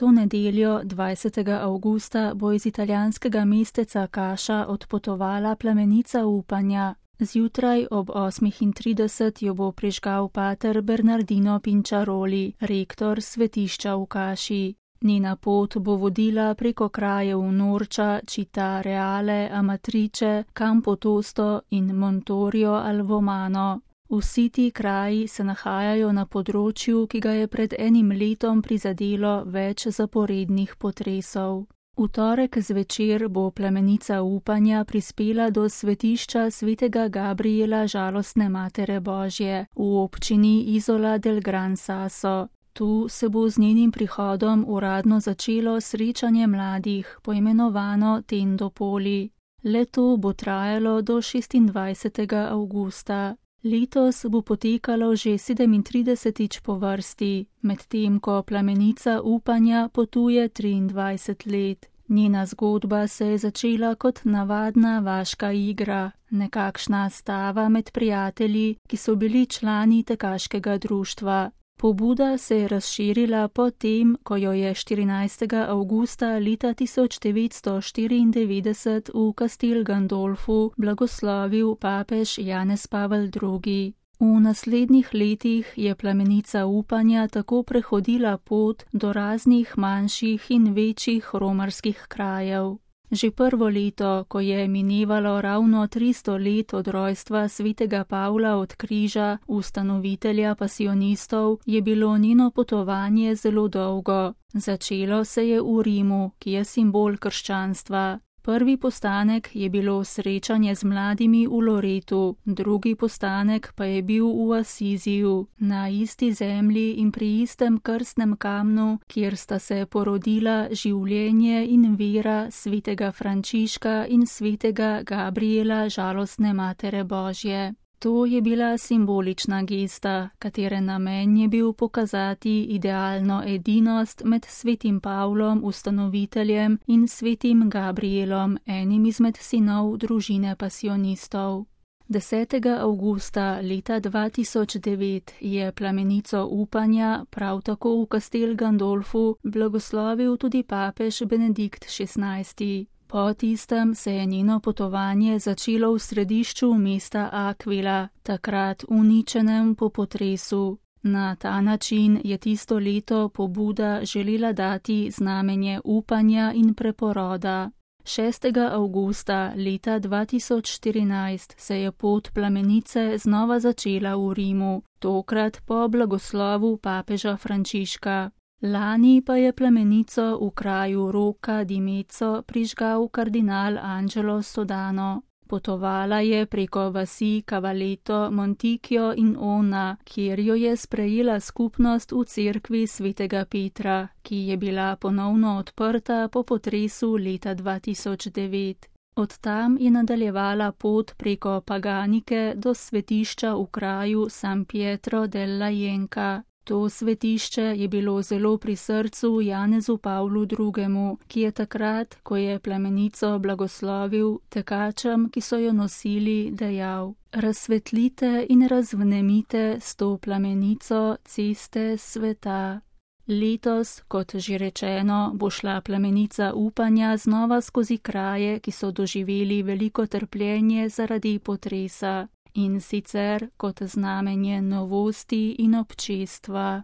To nedeljo, 20. avgusta, bo iz italijanskega mesteca Kaša odpotovala plamenica upanja. Zjutraj ob 8:30 jo bo prižgal pater Bernardino Pinčaroli, rektor svetišča v Kaši. Njena pot bo vodila preko krajev Norča, Città Reale, Amatrice, Campo Tosto in Montorio al Vomano. Vsi ti kraji se nahajajo na področju, ki ga je pred enim letom prizadelo več zaporednih potresov. V torek zvečer bo plamenica upanja prispela do svetišča svetega Gabriela Žalostne Matere Božje v občini Isola del Gran Sasso. Tu se bo z njenim prihodom uradno začelo srečanje mladih, poimenovano Tendo Poli. Le-to bo trajalo do 26. avgusta. Letos bo potekalo že 37. po vrsti, medtem ko plamenica upanja potuje 23 let. Njena zgodba se je začela kot navadna vaška igra, nekakšna stava med prijatelji, ki so bili člani tekaškega društva. Pobuda se je razširila potem, ko jo je 14. avgusta leta 1994 v Castel Gandolfu blagoslovil papež Janez Pavel II. V naslednjih letih je plamenica upanja tako prehodila pot do raznih manjših in večjih romarskih krajev. Že prvo leto, ko je minevalo ravno 300 let od rojstva svetega Pavla od križa, ustanovitelja pasionistov, je bilo njeno potovanje zelo dolgo. Začelo se je v Rimu, ki je simbol krščanstva. Prvi postanek je bilo srečanje z mladimi v Loretu, drugi postanek pa je bil v Asiziju, na isti zemlji in pri istem krstnem kamnu, kjer sta se porodila življenje in vera svetega Frančiška in svetega Gabriela Žalostne Matere Božje. To je bila simbolična gesta, katere namen je bil pokazati idealno edinost med svetim Pavlom, ustanoviteljem, in svetim Gabrielom, enim izmed sinov družine pasionistov. 10. avgusta leta 2009 je plamenico upanja prav tako v Castel Gandolfu blagoslovil tudi papež Benedikt XVI. Po tistem se je njeno potovanje začelo v središču mesta Aquila, takrat uničenem po potresu. Na ta način je tisto leto pobuda želela dati znamenje upanja in preporoda. 6. avgusta leta 2014 se je pot plamenice znova začela v Rimu, tokrat po blagoslovu papeža Frančiška. Lani pa je plamenico v kraju Rocca di Mezzo prižgal kardinal Angelo Sodano. Potovala je preko vasi Cavaletto, Monticchio in Onna, kjer jo je sprejela skupnost v cerkvi svetega Petra, ki je bila ponovno odprta po potresu leta 2009. Od tam je nadaljevala pot preko Paganike do svetišča v kraju San Pietro della Jenca. To svetišče je bilo zelo pri srcu Janezu Pavlu II., ki je takrat, ko je plamenico blagoslovil, tekačem, ki so jo nosili, dejal: "Razsvetlite in razvnemite s to plamenico ceste sveta." Letos, kot že rečeno, bo šla plamenica upanja znova skozi kraje, ki so doživeli veliko trpljenje zaradi potresa, in sicer kot znamenje novosti in občestva.